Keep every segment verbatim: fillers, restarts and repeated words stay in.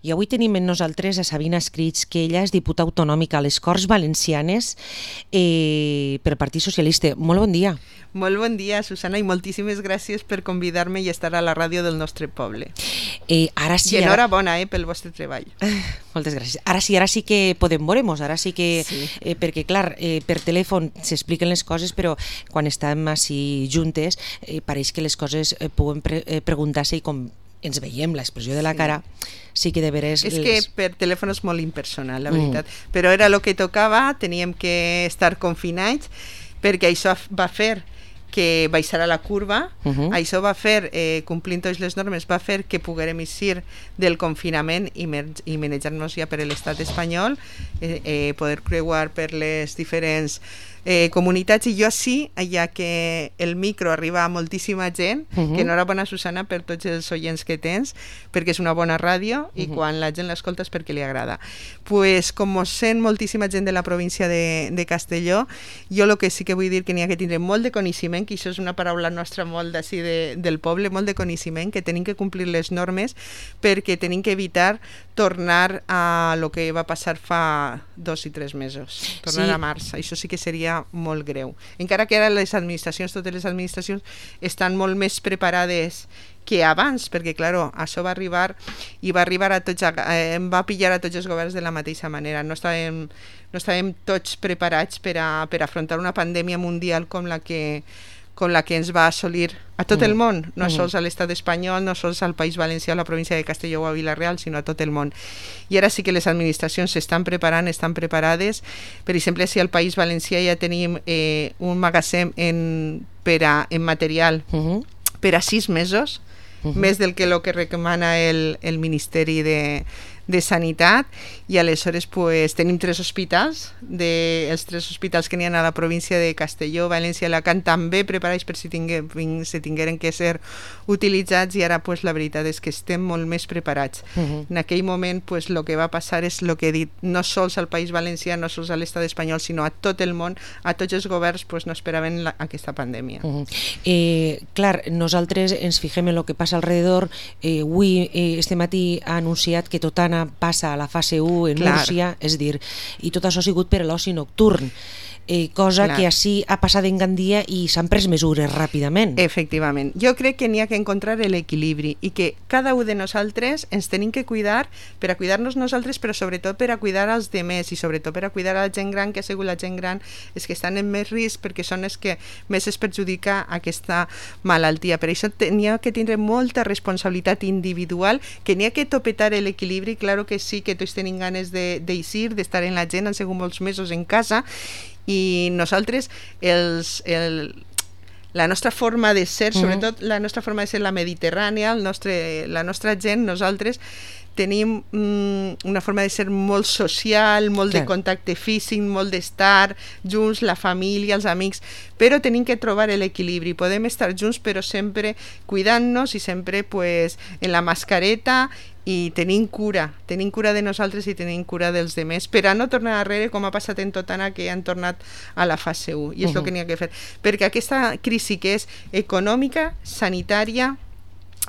I avui tenim amb nosaltres a Sabina Escrits, que ella és diputada autonòmica a les Corts Valencianes eh, per Partit Socialista. Molt bon dia. Molt bon dia, Susana, i moltíssimes gràcies per convidar-me i estar a la ràdio del nostre poble. Eh, ara sí, I enhorabona eh, pel vostre treball. Moltes gràcies. Ara sí, ara sí que podem veure-nos, ara sí que... Sí. Eh, perquè, clar, eh, per telèfon s'expliquen les coses, però quan estem així juntes eh, pareix que les coses eh, poden pre eh, preguntar-se i com ens veiem l'expressió de la cara, sí, sí que de veres... És les... que per telèfon és molt impersonal, la veritat. Mm. Però era el que tocava, teníem que estar confinats, perquè això va fer que baixarà la curva, uh -huh. això va fer, eh, complint totes les normes, va fer que poguérem eixir del confinament i, i manejar-nos ja per l'estat espanyol, eh, eh, poder creuar per les diferents eh, comunitats, i jo així, ja que el micro arriba a moltíssima gent, uh -huh. que enhorabona, Susana, per tots els oients que tens, perquè és una bona ràdio, i uh -huh. quan la gent l'escolta és perquè li agrada. Pues, com sent moltíssima gent de la província de, de Castelló, jo el que sí que vull dir que n'hi ha que tindre molt de coneixement, que això és una paraula nostra molt d'ací de, del poble, molt de coneixement, que tenim que complir les normes, perquè tenim que evitar tornar a lo que va passar fa dos i tres mesos, tornar sí. a març. Això sí que seria molt greu. Encara que ara les administracions, totes les administracions, estan molt més preparades que abans, perquè, clar, això va arribar i va arribar a tots, eh, va pillar a tots els governs de la mateixa manera. No estàvem, no estàvem tots preparats per a, per afrontar una pandèmia mundial com la que com la que ens va assolir a tot mm. el món, no mm. sols a l'estat espanyol, no sols al País Valencià, a la província de Castelló o a Vila-real, sinó a tot el món. I ara sí que les administracions s'estan preparant, estan preparades. Per exemple, si al País Valencià ja tenim eh, un magatzem en, per a, en material mm -hmm. per a sis mesos, mm -hmm. més del que lo que recomana el, el Ministeri de de Sanitat, i aleshores pues, tenim tres hospitals, de, els tres hospitals que n'hi ha a la província de Castelló, València i Alacant, també preparats per si, tingue, si tingueren que ser utilitzats, i ara pues, la veritat és que estem molt més preparats. Uh -huh. En aquell moment pues, el que va passar és el que he dit, no sols al País Valencià, no sols a l'estat espanyol, sinó a tot el món, a tots els governs pues, no esperaven la, aquesta pandèmia. Uh -huh. eh, clar, nosaltres ens fixem en el que passa alrededor. Eh, avui, eh, este matí ha anunciat que Totana passa a la fase u en Clar. Múrcia, és dir, i tot això ha sigut per l'oci nocturn, eh, cosa Clar. Que així ha passat en Gandia i s'han pres mesures ràpidament. Efectivament. Jo crec que n'hi ha que encontrar l'equilibri i que cada un de nosaltres ens tenim que cuidar per a cuidar-nos nosaltres, però sobretot per a cuidar als demés i sobretot per a cuidar a la gent gran, que ha sigut la gent gran els que estan en més risc perquè són els que més es perjudica aquesta malaltia. Per això n'hi ha que tindre molta responsabilitat individual, que n'hi ha que topetar l'equilibri. Claro que sí, que tots tenim ganes d'eixir, d'estar en la gent, han sigut molts mesos en casa, i nosaltres els, el, la nostra forma de ser, sobretot la nostra forma de ser la mediterrània, el nostre, la nostra gent, nosaltres tenim mm, una forma de ser molt social, molt Clar. De contacte físic, molt d'estar junts, la família, els amics, però tenim que trobar l'equilibri. Podem estar junts però sempre cuidant-nos i sempre pues, en la mascareta, i tenim cura, tenim cura de nosaltres i tenim cura dels demés, per a no tornar darrere com ha passat en Totana, que han tornat a la fase u, i és uh -huh. el que n'hi ha que fer, perquè aquesta crisi que és econòmica, sanitària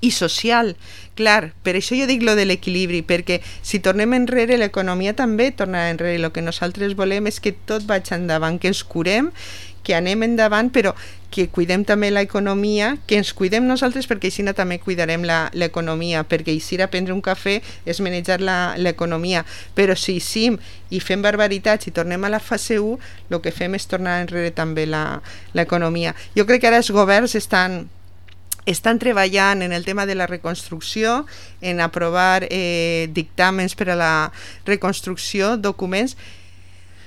i social, clar, per això jo dic lo de l'equilibri, perquè si tornem enrere l'economia també tornarà enrere. El que nosaltres volem és que tot vagi endavant, que ens curem, que anem endavant, però que cuidem també l'economia, que ens cuidem nosaltres, perquè així també cuidarem l'economia, perquè eixir a prendre un cafè és manejar l'economia, però si eixim i fem barbaritats i tornem a la fase u, el que fem és tornar enrere també l'economia. Jo crec que ara els governs estan estan treballant en el tema de la reconstrucció, en aprovar eh, dictàmens per a la reconstrucció, documents,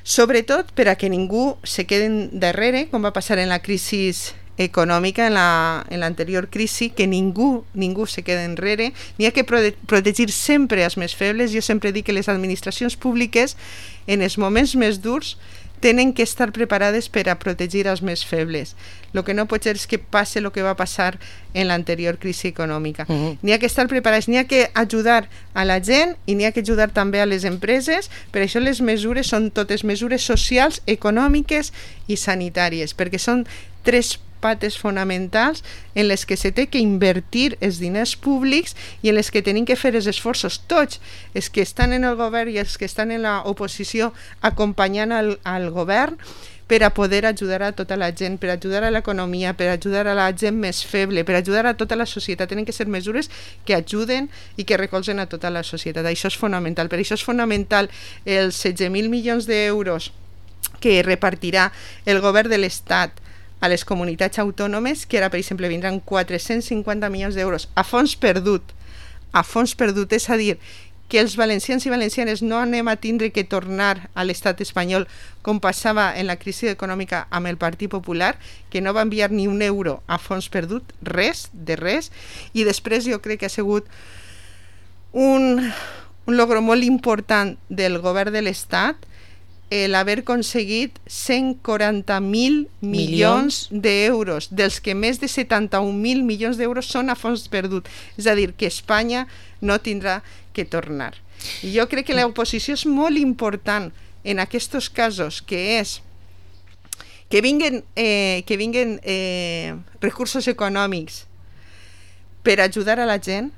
sobretot per a que ningú se quedi darrere, com va passar en la crisi econòmica, en l'anterior la, crisi, que ningú ningú se quedi enrere. N'hi ha que prote protegir sempre els més febles. Jo sempre dic que les administracions públiques, en els moments més durs, tenen que estar preparades per a protegir els més febles. El que no pot ser és que passe el que va passar en l'anterior crisi econòmica. Uh -huh. N'hi ha que estar preparats, n'hi ha que ajudar a la gent i n'hi ha que ajudar també a les empreses. Per això les mesures són totes mesures socials, econòmiques i sanitàries, perquè són tres pates fonamentals en les que se té que invertir els diners públics i en les que tenim que fer els esforços tots, els que estan en el govern i els que estan en l'oposició acompanyant al, al govern, per a poder ajudar a tota la gent, per ajudar a l'economia, per ajudar a la gent més feble, per ajudar a tota la societat. Tenen que ser mesures que ajuden i que recolzen a tota la societat. Això és fonamental. Per això és fonamental els setze mil milions d'euros que repartirà el govern de l'Estat a les comunitats autònomes, que ara, per exemple, vindran quatre-cents cinquanta milions d'euros a fons perdut, a fons perdut, és a dir, que els valencians i valencianes no anem a tindre que tornar a l'estat espanyol com passava en la crisi econòmica amb el Partit Popular, que no va enviar ni un euro a fons perdut, res, de res, i després jo crec que ha sigut un, un logro molt important del govern de l'estat el haver aconseguit cent quaranta mil milions d'euros, dels que més de setanta-un mil milions d'euros són a fons perdut. És a dir, que Espanya no tindrà que tornar. I jo crec que l'oposició és molt important en aquests casos, que és que vinguen, eh, que vinguen eh, recursos econòmics per ajudar a la gent,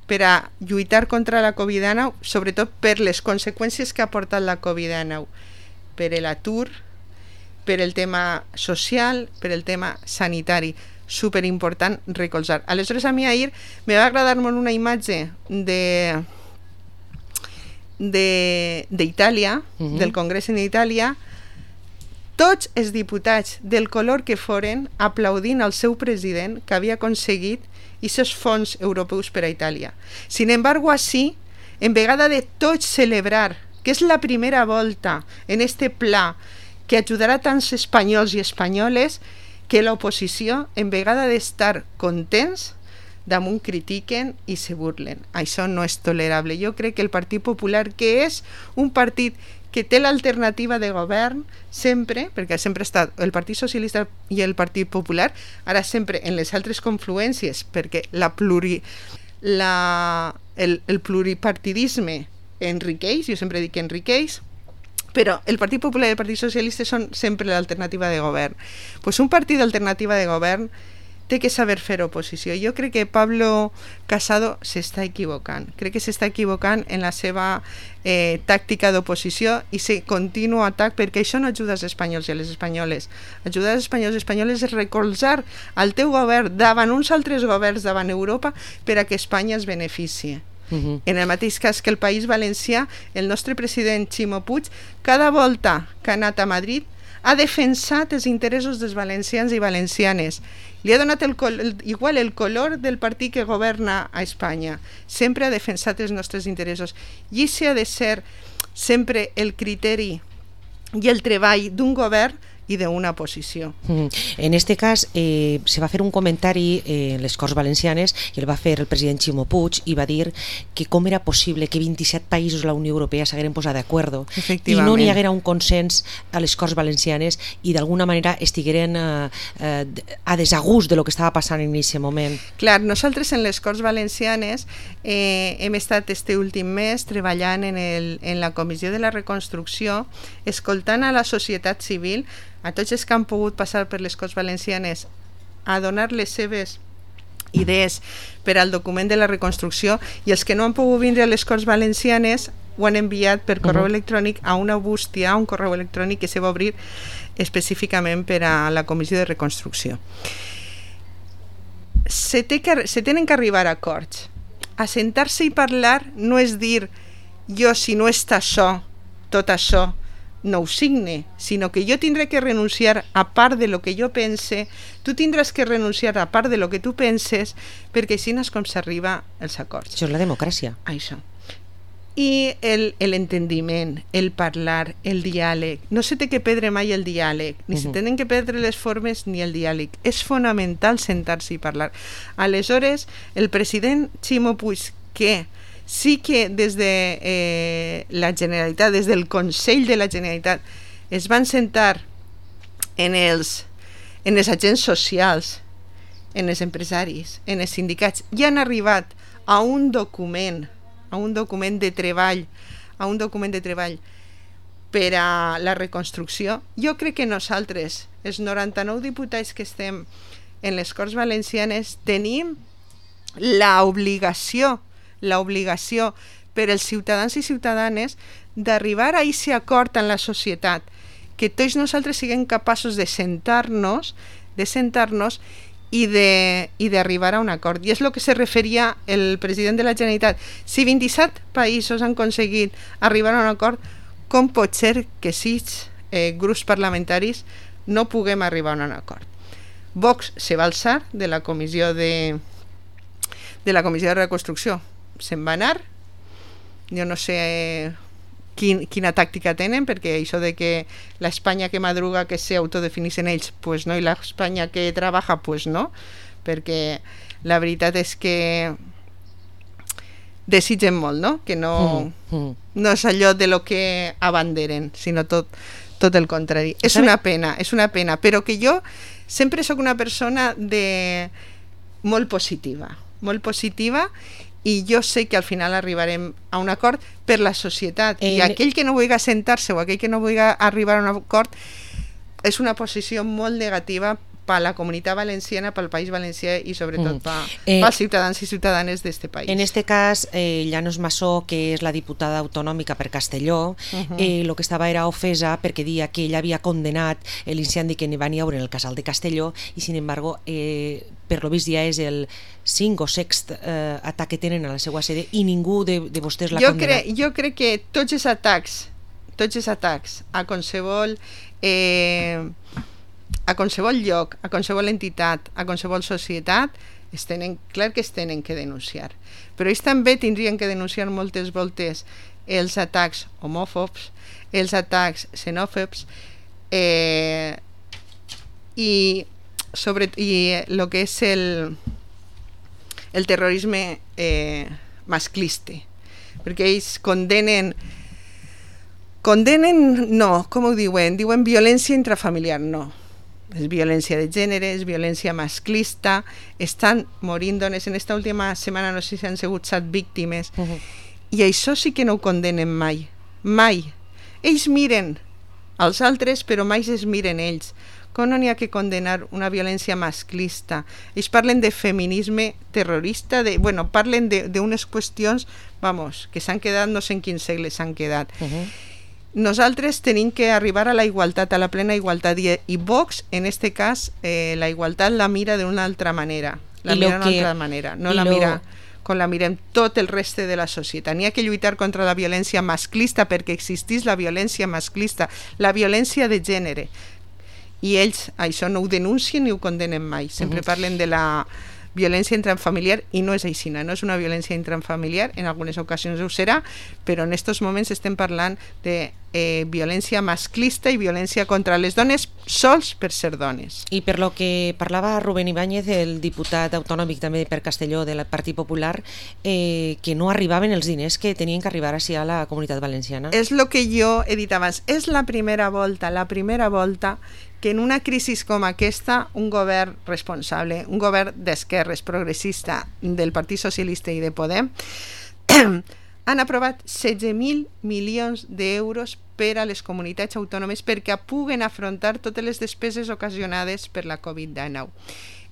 per a lluitar contra la covid dinou, sobretot per les conseqüències que ha portat la covid dinou, per l'atur, per el tema social, per el tema sanitari. Superimportant recolzar. Aleshores, a mi ahir me va agradar molt una imatge de d'Itàlia, uh-huh. del Congrés en Itàlia, tots els diputats del color que foren aplaudint al seu president que havia aconseguit aquests fons europeus per a Itàlia. Sin embargo, així, en vegada de tots celebrar que és la primera volta en este pla que ajudarà tants espanyols i espanyoles, que l'oposició, en vegada d'estar contents, damunt critiquen i se burlen. Això no és tolerable. Jo crec que el Partit Popular, que és un partit que té l'alternativa de govern sempre, perquè sempre ha estat el Partit Socialista i el Partit Popular, ara sempre en les altres confluències, perquè la pluri, la, el, el pluripartidisme enriqueix, jo sempre dic que enriqueix, però el Partit Popular i el Partit Socialista són sempre l'alternativa de govern. Pues un partit d'alternativa de govern té que saber fer oposició. Jo crec que Pablo Casado s'està equivocant. Crec que s'està equivocant en la seva eh, tàctica d'oposició i se continu atac, perquè això no ajuda als espanyols i a les espanyoles. Ajudar als espanyols i espanyoles és recolzar al teu govern davant uns altres governs davant Europa per a que Espanya es beneficie. Uh-huh. En el mateix cas que el País Valencià, el nostre president Ximo Puig, cada volta que ha anat a Madrid ha defensat els interessos dels valencians i valencianes. Li ha donat el col- el, igual el color del partit que governa a Espanya. Sempre ha defensat els nostres interessos. I això ha de ser sempre el criteri i el treball d'un govern i d'una oposició. Mm. En este cas eh, se va fer un comentari eh, en les Corts Valencianes i el va fer el president Ximo Puig i va dir que com era possible que vint-i-set països de la Unió Europea s'hagueren posat d'acord i no n'hi haguera un consens a les Corts Valencianes i d'alguna manera estigueren eh, eh, a desagús de lo que estava passant en aquest moment. Clar, nosaltres en les Corts Valencianes eh, hem estat este últim mes treballant en, el, en la Comissió de la Reconstrucció, escoltant a la societat civil, a tots els que han pogut passar per les Corts Valencianes a donar les seves idees per al document de la reconstrucció, i els que no han pogut vindre a les Corts Valencianes ho han enviat per correu uh-huh. electrònic a una bústia, a un correu electrònic que se va obrir específicament per a la Comissió de Reconstrucció. Se, té que, se tenen que arribar a acords. Assentar-se i parlar no és dir jo si no està això, tot això, no ho signe, sinó que jo tindré que renunciar a part de lo que jo pense, tu tindràs que renunciar a part de lo que tu penses, perquè així és com s'arriba als acords. Això és la democràcia. Això. I l'entendiment, el, el parlar, el diàleg. No se té que perdre mai el diàleg, ni uh-huh. se tenen que perdre les formes ni el diàleg. És fonamental sentar-se i parlar. Aleshores, el president Ximo Puig, que sí que des de eh, la Generalitat, des del Consell de la Generalitat, es van sentar en els, en els agents socials, en els empresaris, en els sindicats, i han arribat a un document, a un document de treball, a un document de treball per a la reconstrucció. Jo crec que nosaltres els noranta-nou diputats que estem en les Corts Valencianes, tenim l'obligació, l'obligació per als ciutadans i ciutadanes d'arribar a aquest acord en la societat, que tots nosaltres siguem capaços de sentar-nos, de sentar-nos i de i d'arribar a un acord. I és el que se referia el president de la Generalitat. Si vint-i-set països han aconseguit arribar a un acord, com pot ser que sis eh, grups parlamentaris no puguem arribar a un acord? Vox se va alçar de la comissió de de la comissió de reconstrucció. Se'n va anar. Jo no sé quin, quina tàctica tenen, perquè això de que l'Espanya que madruga que se autodefinixen ells, pues no, i l'Espanya que treballa, pues no, perquè la veritat és que desitgen molt, no? Que no, mm, mm. no és allò de lo que abanderen, sinó tot, tot el contrari. És una pena, és una pena, però que jo sempre sóc una persona de molt positiva, molt positiva, i jo sé que al final arribarem a un acord per la societat. Eh, I aquell que no vulgui sentar-se o aquell que no vulgui arribar a un acord és una posició molt negativa per la comunitat valenciana, pel País Valencià i sobretot mm. per eh, els ciutadans i ciutadanes d'este país. En este cas, eh, Llanos Massó, que és la diputada autonòmica per Castelló, uh-huh. eh, lo que estava era ofesa perquè dia que ella havia condenat l'incendi que n'hi va haure en el casal de Castelló i, sin embargo, eh, per lo vist ja és el cinc o sext eh, atac que tenen a la seva sede i ningú de, de vostès l'ha jo condenat. Crec, jo crec que tots els atacs, tots els atacs a qualsevol... Eh, a qualsevol lloc, a qualsevol entitat, a qualsevol societat, es tenen, clar que es tenen que denunciar. Però ells també tindrien que denunciar moltes voltes els atacs homòfobs, els atacs xenòfobs, eh, i sobre i el que és el, el terrorisme eh, masclista, perquè ells condenen condenen, no, com ho diuen? Diuen violència intrafamiliar, no. És violència de gènere, és violència masclista, estan morint dones. En esta última setmana no sé si han sigut set víctimes, uh-huh. i això sí que no ho condenen mai, mai. Ells miren als altres, però mai es miren ells. Com no n'hi ha que condenar una violència masclista? Ells parlen de feminisme terrorista, de, bueno, parlen d'unes qüestions, vamos, que s'han quedat, no sé en quin segle s'han quedat. Uh-huh. Nosaltres tenim que arribar a la igualtat, a la plena igualtat, i, i Vox, en este cas, eh, la igualtat la mira d'una altra manera, la I mira d'una altra manera, no la lo... mira com la mirem tot el reste de la societat. N'hi ha que lluitar contra la violència masclista perquè existís la violència masclista, la violència de gènere, i ells això no ho denuncien ni ho condenen mai, sempre uh-huh. parlen de la violència intrafamiliar i no és així, no és una violència intrafamiliar, en algunes ocasions ho serà, però en aquests moments estem parlant de eh, violència masclista i violència contra les dones sols per ser dones. I per lo que parlava Rubén Ibáñez, el diputat autonòmic també per Castelló del Partit Popular, eh, que no arribaven els diners que tenien que arribar així a la comunitat valenciana. És el que jo he dit abans, és la primera volta, la primera volta que en una crisi com aquesta un govern responsable, un govern d'esquerres progressista del Partit Socialista i de Podem han aprovat setze mil milions d'euros per a les comunitats autònomes perquè puguen afrontar totes les despeses ocasionades per la covid dinou.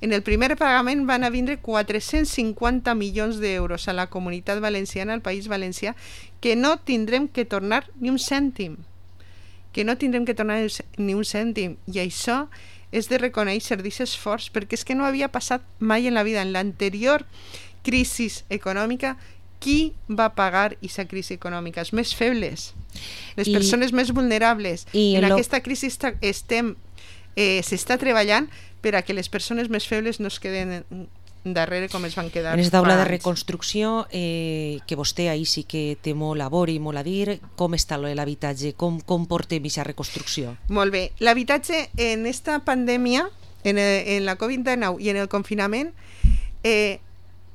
En el primer pagament van a vindre quatre-cents cinquanta milions d'euros a la comunitat valenciana, al País Valencià, que no tindrem que tornar ni un cèntim. que no tindrem que tornar ni un cèntim, i això és de reconèixer d'aquest esforç, perquè és que no havia passat mai en la vida. En l'anterior crisi econòmica, qui va pagar aquesta crisi econòmica? Els més febles, les I, persones més vulnerables. En lo... aquesta crisi està, estem, eh, s'està treballant per a que les persones més febles no es queden darrere com es van quedar. En aquesta taula de reconstrucció, eh, que vostè ahir sí que té molt labor i molt a dir, com està l'habitatge? Com, com portem aquesta reconstrucció? Molt bé. L'habitatge en esta pandèmia, en, el, en la covid dinou i en el confinament, eh,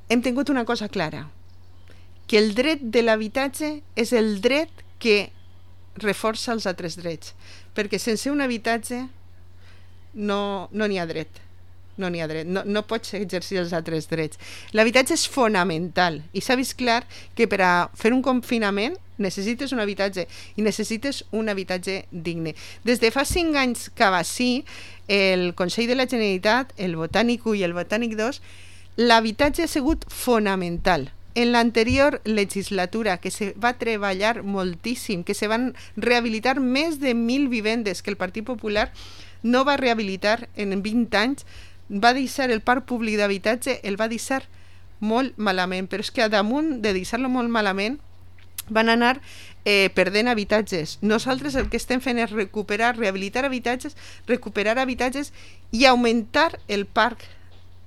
hem tingut una cosa clara, que el dret de l'habitatge és el dret que reforça els altres drets, perquè sense un habitatge no no n'hi ha dret. No n'hi ha dret, no, no pots exercir els altres drets. L'habitatge és fonamental i s'ha vist clar que per a fer un confinament necessites un habitatge i necessites un habitatge digne. Des de fa cinc anys que va sí, el Consell de la Generalitat, el Botànic u i el Botànic dos, l'habitatge ha sigut fonamental. En l'anterior legislatura, que se va treballar moltíssim, que se van rehabilitar més de mil vivendes que el Partit Popular no va rehabilitar en vint anys, va deixar el parc públic d'habitatge, el va deixar molt malament, però és que a damunt de deixar-lo molt malament van anar eh, perdent habitatges. Nosaltres el que estem fent és recuperar, rehabilitar habitatges, recuperar habitatges i augmentar el parc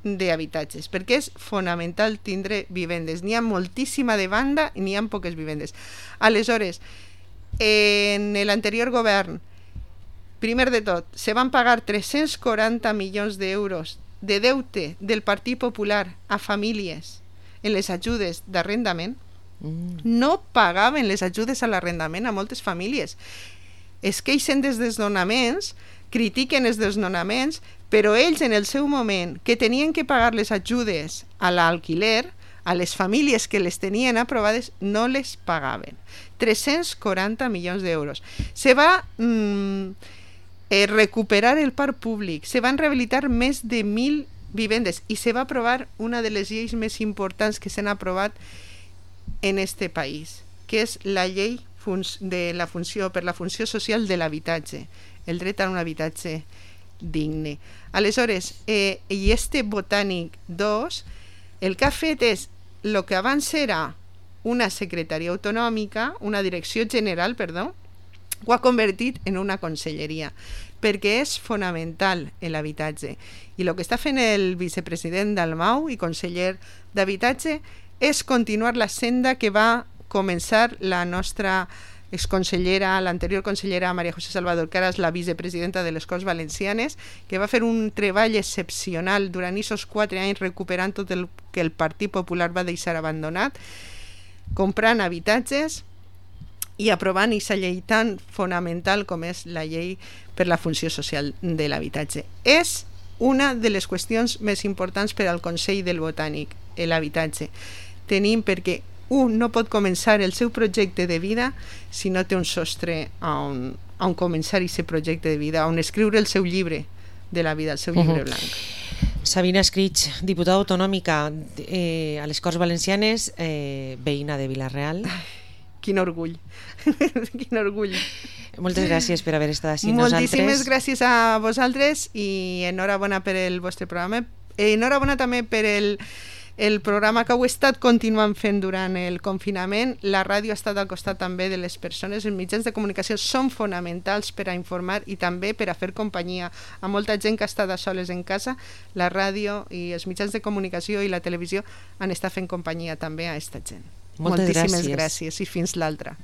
d'habitatges, perquè és fonamental tindre vivendes. N'hi ha moltíssima demanda i n'hi ha poques vivendes. Aleshores, en l'anterior govern, primer de tot, se van pagar tres-cents quaranta milions d'euros de deute del Partit Popular a famílies en les ajudes d'arrendament. Mm. No pagaven les ajudes a l'arrendament a moltes famílies. Es queixen dels desnonaments, critiquen els desnonaments, però ells en el seu moment que tenien que pagar les ajudes a l'alquiler, a les famílies que les tenien aprovades, no les pagaven. tres-cents quaranta milions d'euros. Se va mm, eh, recuperar el parc públic, se van rehabilitar més de mil vivendes i se va aprovar una de les lleis més importants que s'han aprovat en este país, que és la llei de la funció, per la funció social de l'habitatge, el dret a un habitatge digne. Aleshores, eh, i este Botànic dos, el que ha fet és, el que abans era una secretaria autonòmica, una direcció general, perdó, ho ha convertit en una conselleria, perquè és fonamental l'habitatge. I el que està fent el vicepresident Dalmau i conseller d'habitatge és continuar la senda que va començar la nostra exconsellera, l'anterior consellera Maria José Salvador, que ara és la vicepresidenta de les Corts Valencianes, que va fer un treball excepcional durant aquests quatre anys recuperant tot el que el Partit Popular va deixar abandonat, comprant habitatges i aprovant aquesta llei tan fonamental com és la llei per la funció social de l'habitatge. És una de les qüestions més importants per al Consell del Botànic, l'habitatge. Tenim perquè un no pot començar el seu projecte de vida si no té un sostre on, on començar aquest projecte de vida, on escriure el seu llibre de la vida, el seu llibre blanc. Uh-huh. Sabina Escrig, diputada autonòmica eh, a les Corts Valencianes, eh, veïna de Vila-real. Ai, quin orgull, quin orgull. Moltes gràcies per haver estat així nosaltres. Moltíssimes nosaltres. gràcies a vosaltres i enhorabona per el vostre programa. Enhorabona també per el el programa que heu estat continuant fent durant el confinament. La ràdio ha estat al costat també de les persones. Els mitjans de comunicació són fonamentals per a informar i també per a fer companyia a molta gent que ha estat a soles en casa. La ràdio i els mitjans de comunicació i la televisió han estat fent companyia també a aquesta gent. Moltes Moltíssimes gràcies. gràcies i fins l'altra.